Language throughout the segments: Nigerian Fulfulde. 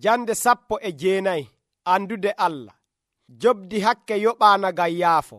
Jande 19 andude Allah. Jobdi hakke yoɓaana ngam yaafo.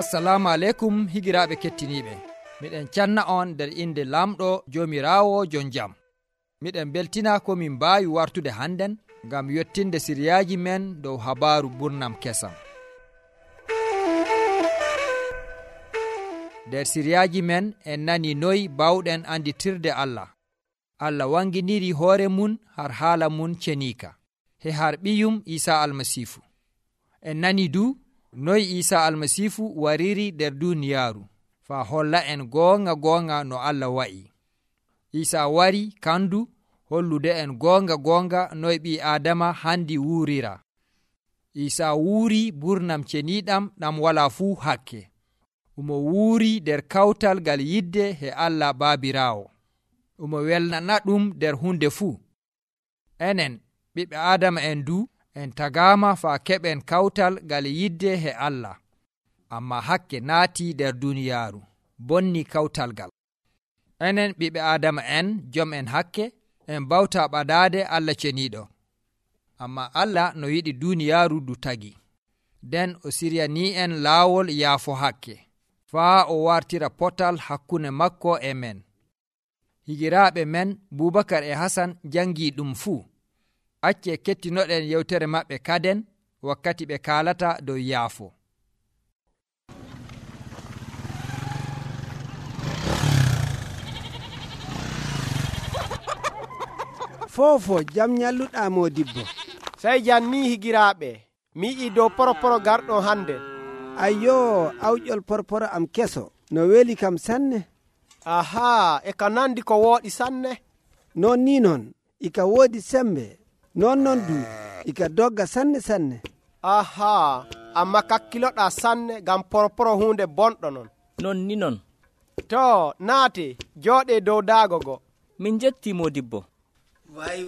Assalamu alaikum higiraaɓe kettiniiɓe. Miɗen canna on nder inde lamɗo joomiraawo jon jam. Miɗen beltina ko min mbaawi wartude hannden ngam yottinde siriyaaji men dow habaaru burnam kesam. Nder siriyaaji men en nani noy bawɗen anditirde Allah. Allah wanginiri hoore mun har haala mun ceniika he har ɓiyum Isa almasiifu. En nani du noy Isa almasiifu wariri nder duniyaaru faa holla en goonga no Allah wa'i. Isa wari kandu hollude en goonga noy ɓii Aadama handi wuurira. Isa wuuri burnam ceniiɗam ɗam walaa fuu hakke. Umo wuuri nder kawtal ngal yidde he Allah Baabiraawo. Umo welnana ɗum nder hunde fuu. Enen ɓiɓɓe Aadama en du en tagaama faa keɓen kawtal ngal yidde he Allah. Amma hakke naati nder duniyaaru, bonni kawtal ngal. Enen ɓiɓɓe Aadama en jom en hakke en bawta ɓadaade Allah ceniiɗo. Amma Allah no yiɗi duniyaaru du tagi. Nden o siryanii en laawol yaafo hakke, faa o wartira potal hakkunde makko e men. Higiraaɓe men Bubakar e Hasan jangii ɗum fuu. Acce kettinoɗen yewtere maɓɓe kaden wakkati ɓe kaalata dow yaafo. Fofo jam nyalluɗa Modibbo. Sey janni higiraaɓe, mi yi'i dow poroporo garɗo hande. Ayyo, awƴol porporo am keso, no weli kam sanne. Aha, e ka nandi ko wooɗi sanne. Non ni non, ika woodi sembe, non du, ika dogga sanne. Aha, amma kakkiloɗa sanne gam poroporo hunde bonɗo non. Non ni non. To, naate, jooɗe dow daago go. Min jetti Modibbo. Way.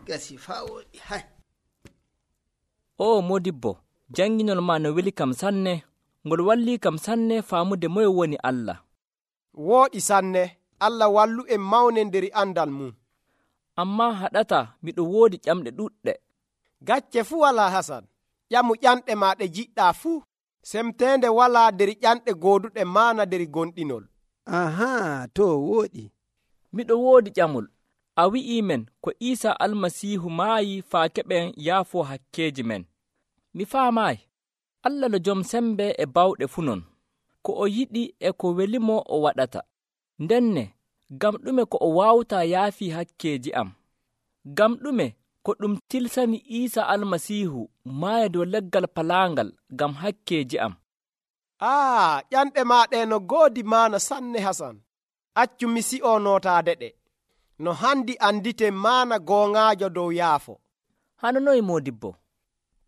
Gasi faa woɗi, hay. O Modibbo, janginol ma no weli kam sanne, ngol walli kam sanne faamude moye woni Allah. Wooɗi sanne, Allah wallu en mawnendiri andal mum. Amma haɗata miɗo woodi ƴamɗe ɗuɗɗe. Gacce fuu walaa Hasan, ƴamu ƴanɗe ma ɗe jiɗɗa fuu. Semtende walaa der ƴanɗe gooduɗe maana der gonɗinol. Aha, to wooɗi. Miɗo woodi ƴamol. A wi'i men ko Isa almasiihu maayi faa keɓen yaafo hakkeeji men. Mi faamaayi. Allah no jom sembe e bawɗe fuu non. Ko o yiɗi e ko welimo o waɗata. Ndenne, gam ɗume ko o waawta yaafi hakkeeji am? Gam ɗume ko ɗum tilsani Isa almasiihu maaya dow leggal palaangal gam hakkeeji am? Ƴanɗe maaɗe no goodi maana sanne Hasan. Accu mi si'o nootaade ɗe. No handi andite maana gooŋaajo dow yaafo. Hano noy Modibbo?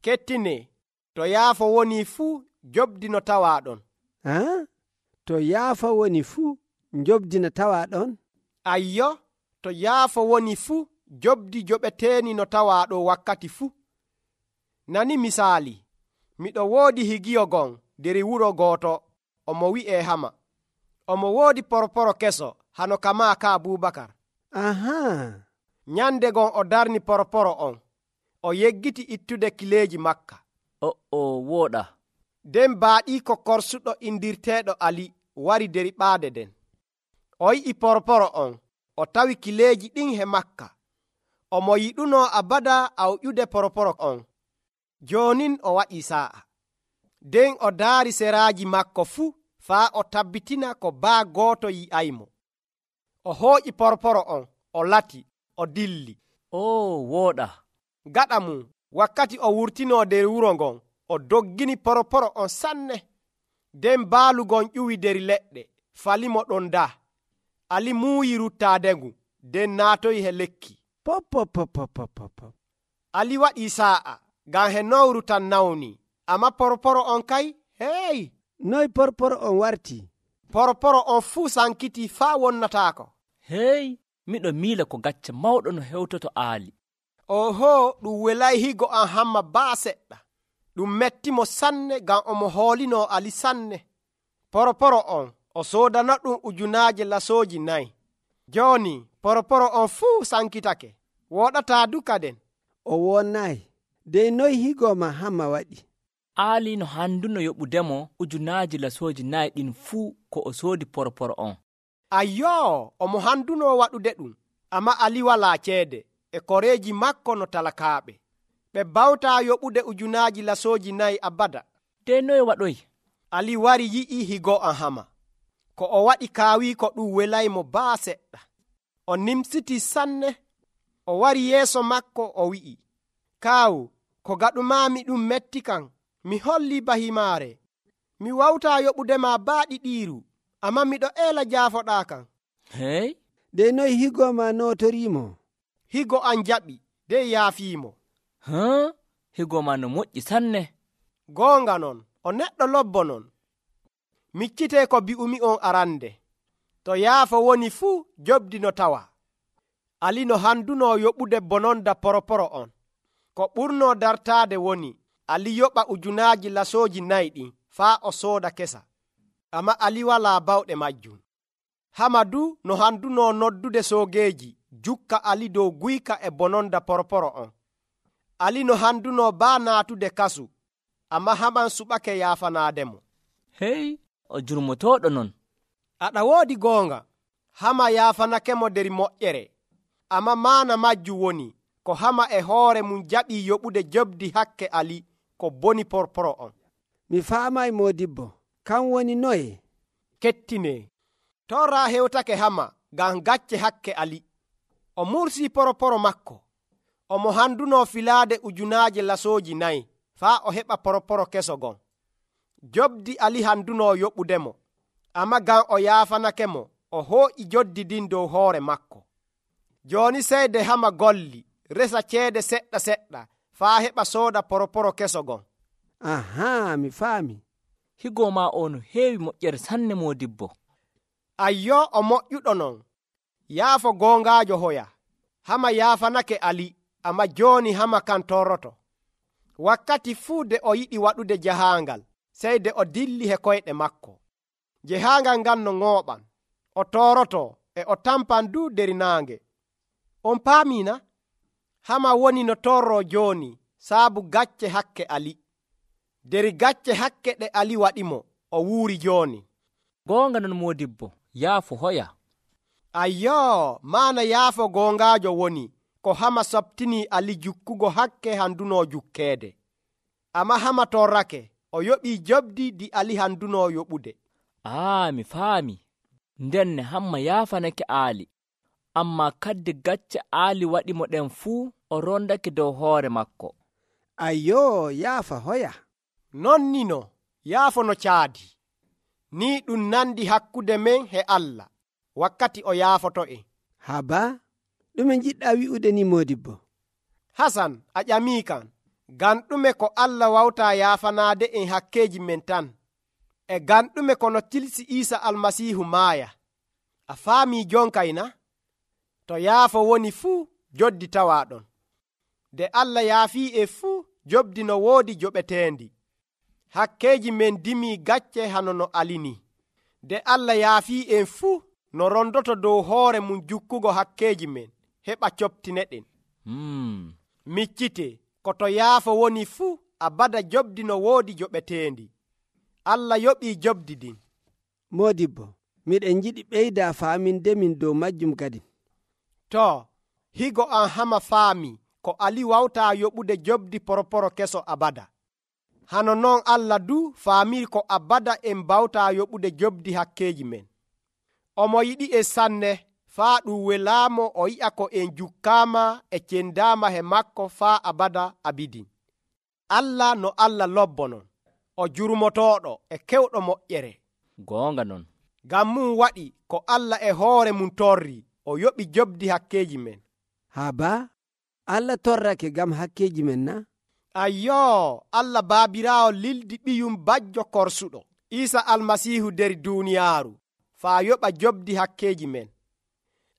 Kettine, to yaafo woni fuu jobdi no tawaa ɗon. To yaafo woni fuu jobdi no tawaa ɗon? Ayyo, to yaafo woni fuu jobdi joɓeteeni no tawaa ɗo wakkati fuu. Nani misaali, miɗo woodi higiyo gon der wuro gooto, omo wi'ee Hama. Omo woodi poroporo keso hano kamaa ka Bubakar. Aha. Nyande gon o darni poroporo on. O yeggiti ittude kileeji makka. Wooɗa. Den baaɗiiko korsuɗo indirteeɗo Ali wari der ɓaade den. O yi'i poroporo on, o tawi kileeji ɗin he makka. Omo yiɗuno abada awƴude poroporo on. Joonin o waɗi saa'a. Den o daari seraaji makko fuu faa o tabbitina ko baa gooto yi'aymo. O hooƴi poroporo on, o lati, o dilli. Wooɗa. Gaɗa mum, wakkati o wurtinoo der wuro ngon, o doggini poroporo on sanne. Den baalugon ƴuwi der leɗɗe, falimo ɗon daa. Ali muuyi ruttaade ngu, den naatoyi he lekki. Pop. Ali waɗi saa'a, ngam he nowru tan nawni. Amma poroporo on kay, hey! Noy poroporo on warti? Poroporo on fuu sankiti faa wonnataako. Hey! Miɗo miila ko gacce mawɗo no hewtoto aali. Oho, ɗum welay higo an hamma baa seɗɗa. Ɗum mettimo sanne ngam omo hoolinoo Ali sanne. Poroporo on o soodana ɗum ujunaaje lasooji 4. Jooni poroporo on fuu sankitake, woɗataa duka den. O wonnayi. Dey noy higooma hamma waɗi? aali no handuno yoɓudemo ujunaaji lasooji 4 ɗin fuu ko o soodi poroporo on. Ayyoo, omo handuno waɗude ɗum, amma Ali walaa ceede e koreeji makko no talakaaɓe. Ɓe bawtaa yoɓude ujunaaji lasooji 4 abada. Dey noye waɗoyi? Ali wari yi'i higo an hama. Ko o waɗi kaawii ko ɗum welaymo baa seɗɗa. O nimsitii sanne. O wari yeeso makko o wi'i, kaawu, ko gaɗumaami ɗum metti kan. Mi hollii bahimaare. Mi wawtaa yoɓudema baa ɗiɗiiru, amma miɗo eela jaafoɗaa kan. Hey? Dey noy higooma nootoriimo? Higo an jaɓi, dey yaafiimo. Higooma no moƴƴi sanne. Goonga non, o neɗɗo lobbo non. Miccitee ko bi'umi on arande. To yaafo woni fuu jobdi no tawa. Ali no handuno yoɓude bononda poroporo on. Ko ɓurnoo dartaade woni Ali yoɓa ujunaaji lasooji 4 ɗin faa o sooda kesa. Amma Ali walaa bawɗe majjum. Hama du no handuno noddude soogeeji jukka Ali dow guyka e bononda poroporo on. Ali no handuno baa naatude kasu, amma Haman suɓake yaafanaademo. Hey, o jurmotooɗo non. Aɗa woodi goonga. Hama yaafanakemo der moƴƴere, amma maana majju woni ko Hama e hoore mum jaɓii yoɓude jobdi hakke Ali ko boni poroporo on. Mi faamay moodibbo, kan woni noye? Kettinee, torra hewtake Hama ngam gacce hakke Ali. O mursii poroporo makko. Omo handuno filaade ujunaaje lasooji 4 faa o heɓa poroporo keso gon. Jobdi Ali handuno yoɓudemo, amma ngam o yaafanakemo, o hooƴi joddi ɗin dow hoore makko. Jooni seyde Hama golli, resa ceede seɗɗa seɗɗa faa heɓa sooda poroporo keso gon. Ahaa, mi faami. Higooma o no heewi moƴƴere sanne moodibbo. Ayyoo, o moƴƴuɗo non. Yaafo goongaajo hoya. Hama yaafanake Ali, amma jooni Hama kan torroto. Wakkati fuu de o yiɗi waɗude jahaangal, seyde o dilli he koyɗe makko. Jahaangal ngan no ŋooɓan, o tooroto e o tampan du der naange. On paamina? Hama woni no torroo jooni saabu gacce hakke Ali. Der gacce hakke ɗe Ali waɗimo, o wuuri jooni. Goonga non moodibbo, yaafo hoya. Ayyoo, maana yaafo goongaajo woni ko Hama sobtinii Ali jukkugo hakke handuno jukkeede. Amma Hama torrake, o yoɓii jobdi ɗi Ali handuno yoɓude. Mi faami. Ndenne Hamma yaafanake Aali, amma kadde gacce Aali waɗimo ɗen fuu o rondake dow hoore makko. Ayyoo, yaafa hoya. Non nino, yaafo no caadi. Ni ɗum nandi hakkude men he Allah, wakkati o yaafoto'en. Haba, ɗume jiɗɗa wi'ude ni moodibbo? Hasan, a ƴamii kan, ngam ɗume ko Allah wawtaa yaafanaade en hakkeeji men tan, e ngam ɗume kono tilsi Iisa almasiihu maaya. A faamii jonkayna? To yaafo woni fuu, joddi tawaa ɗon. De Allah yaafii e fuu, jobdi no woodi joɓeteendi. Hakkeeji men dimii gacce hano no alini. De Allah yaafii en fuu, no rondoto dow hoore mum jukkugo hakkeeji men, heɓa coptine ɗen. Miccite, ko to yaafo woni fuu, abada jobdi no woodi joɓeteendi. Allah yoɓii jobdi ɗin. Moodibbo, miɗen jiɗi ɓeyda faamindemin dow majjum kadi. To, higo an Hama faami ko Ali wawtaa yoɓude jobdi poroporo keso abada. Hano noon Allah du faamii ko abada en bawtaa yoɓude jobdi hakkeeji men. Omo yiɗi e sanne faa ɗum welaamo o yi'a ko en jukkaama e cendaama he makko faa abada abidin. Allah no Allah lobbo non, o jurmotooɗo e kewɗo moƴƴere. Goonga non. Ngam mum waɗi ko Allah e hoore mum torrii, o yoɓi jobdi hakkeeji men. Haba, Allah torrake gam hakkeeji men na? Ayyoo, Allah baabiraawo lildi ɓiyum bajjo korsuɗo, Iisa almasiihu der duuniyaaru, faa yoɓa jobdi hakkeeji men.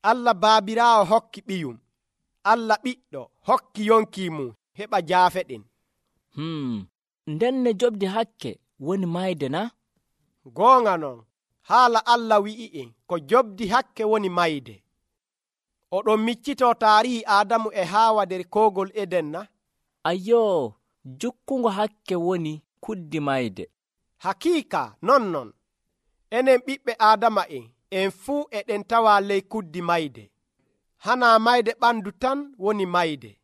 Allah baabiraawo hokki ɓiyum, Allah ɓiɗɗo hokki yonki mum heɓa jaafe ɗen. Ndenne jobdi hakke woni mayde na? Goonga non, haala Allah wi'i'en ko jobdi hakke woni mayde. Oɗon miccitoo taarihi Aadamu e Haawa nder koogol Eden na? Ayyoo, jukkungo hakke woni kuddi mayde. Hakiika non. Enen ɓiɓɓe Aadama'en en fuu eɗen tawa ley kuddi mayde. Hanaa mayde ɓandu tan woni mayde,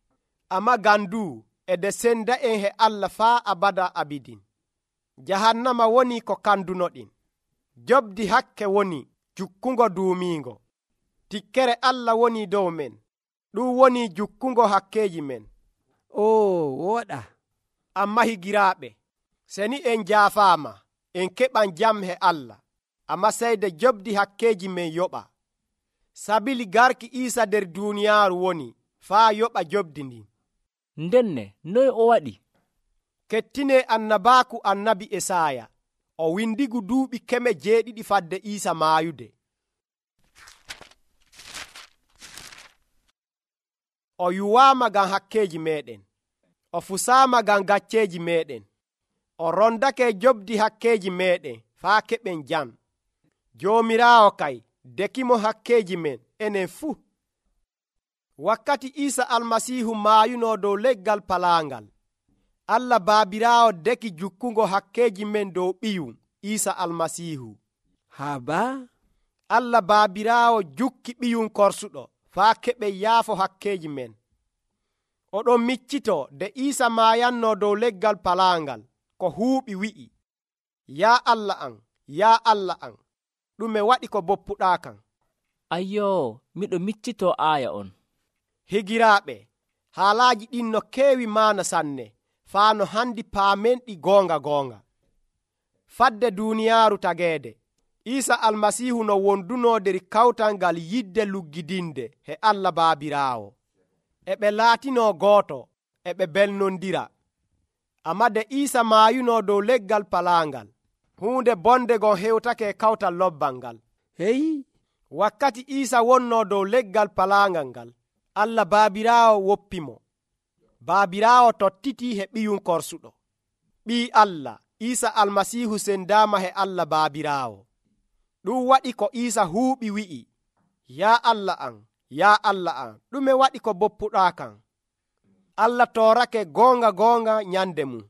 amma gandu ede senda'en he Allah faa abada abidin. Jahannama woni ko kandunoɗin. Jobdi hakke woni jukkungo duumiingo. Tikkere Allah woni dow men. Ɗum woni jukkungo hakkeeji men. wooɗa. Amma higiraaɓe, seni en jaafaama, en keɓan jam he Allah, amma seyde jobdi hakkeeji men yoɓa. Sabili garki Iisa nder duuniyaaru woni faa yoɓa jobdi ndin. Ndenne, noy o waɗi? Kettine annabaaku annabi Esaaya, o windigu duuɓi 700 fadde Iisa maayude. O yuwaama ngam hakkeeji meeɗen, o fusaama ngam gacceeji meeɗen, o rondake jobdi hakkeeji meeɗen faa keɓen jam. Joomiraawo kay dekimo hakkeeji men enen fuu. Wakkati Iisa Almasiihu maayunoo dow leggal palaangal, Allah Baabiraawo deki jukkungo hakkeeji men dow ɓiyum Iisa Almasiihu. Haba? Allah Baabiraawo jukki ɓiyum korsuɗo faa keɓen yaafo hakkeeji men. Oɗon miccitoo de Iisa maayannoo dow leggal palaangal ko huuɓi wi'i, yaa Allah am, yaa Allah am, ɗume waɗi ko boppuɗaa kam? Ayyoo, miɗo miccitoo aaya on. Higiraaɓe, haalaaji ɗin no keewi maana sanne, faa no handi paamen ɗi goonga. Fadde duuniyaaru tageede, Iisa Almasiihu no wondunoo nder kawtal ngal yidde luggidinde he Allah Baabiraawo. E ɓe laatinoo gooto, e ɓe belnondira. Amma de Iisa maayunoo dow leggal palaangal, huunde bonde gon hewtake kawtal lobbal ngal. Hey! Wakkati Iisa wonnoo dow leggal palaangal ngal, Allah Baabiraawo woppimo. Baabiraawo tottitii he ɓiyum korsuɗo. Ɓii Allah, Iisa Almasiihu sendaama he Allah Baabiraawo. Ɗum waɗi ko Iisa huuɓi wi'i, yaa Allah am, yaa Allah am, ɗume waɗi ko boppuɗaa kam? Allah toorake goonga nyande mum.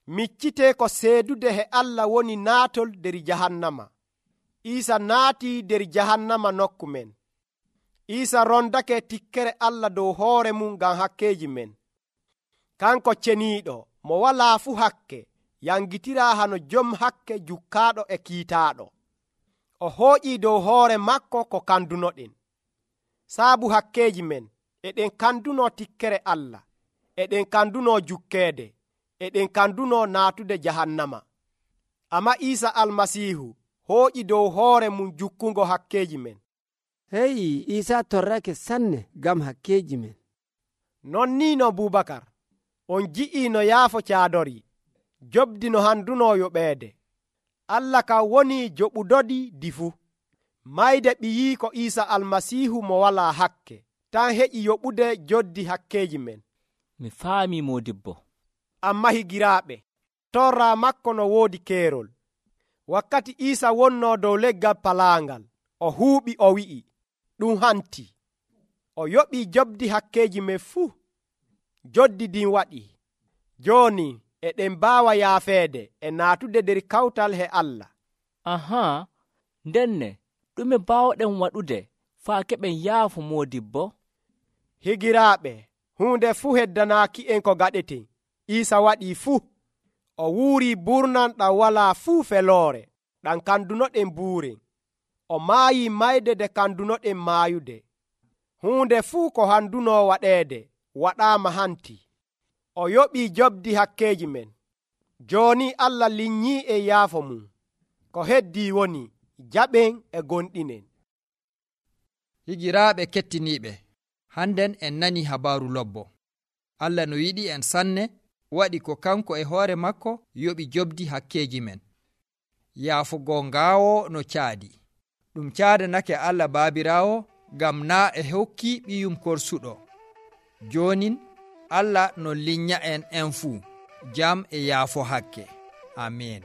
Miccitee ko seedude he Allah woni naatol nder jahannama. Iisa naatii nder jahannama nokku men. Iisa rondake tikkere Allah dow hoore mum ngam hakkeeji men. Kanko ceniiɗo mo walaa fu hakke yangitiraa hano jom hakke jukkaaɗo e kiitaaɗo. O hooƴii dow hoore makko ko kandunoɗen. Saabu hakkeeji men eɗen kandunoo tikkere Allah, eɗen kandunoo jukkeede, eɗen kandunoo naatude jahannama. Amma Iisa Almasiihu hooƴi dow hoore mum jukkungo hakkeeji men. Hey, Iisa torrake sanne gam hakkeeji men. Non ni no Bubakar, on ji'ii no yaafo caadorii, jobdi no handunoo yoɓeede. Allah ka woni joɓudodi di fuu. Mayde ɓiyii ko Iisa Almasiihu mo walaa hakke, tan heƴi yoɓude joddi hakkeeji men. Mi faami modibbo. Amma higiraaɓe, torraa makko no woodi keerol. Wakkati Iisa wonnoo dow leggal palaangal, o huuɓi o wi'i, ɗum hanti. O yoɓii jobdi hakkeeji men fuu. Joddi ɗin waɗi. Jooni eɗen mbaawa yaafeede e naatude nder kawtal he Allah. Ahaa, ndenne ɗume baawɗen waɗude faa keɓen yaafu modibbo? Higiraaɓe, huunde fuu heddanaaki en ko gaɗeten. Iisa waɗii fuu. O wuurii burnan ɗam walaa fuu feloore, ɗam kandunoɗen buuren. O maayii mayde de kandunoɗen maayude. Huunde fuu ko handunoo waɗeede waɗaama hanti. O yoɓii jobdi hakkeeji men. Jooni Allah linyii e yaafo mum. Ko heddii woni jaɓen e gonɗinen. Higiraaɓe kettiniiɓe, hannden en nani habaaru lobbo. Allah no yiɗi en sanne waɗi ko kanko e hoore makko yoɓi jobdi hakkeeji men. Yaafugo ngaawo no caadi. Ɗum caadanake Allah Baabiraawo ngam naa e hokki ɓiyum korsuɗo. Joonin Allah no linya en fuu jam e yaafo hakke. Amin.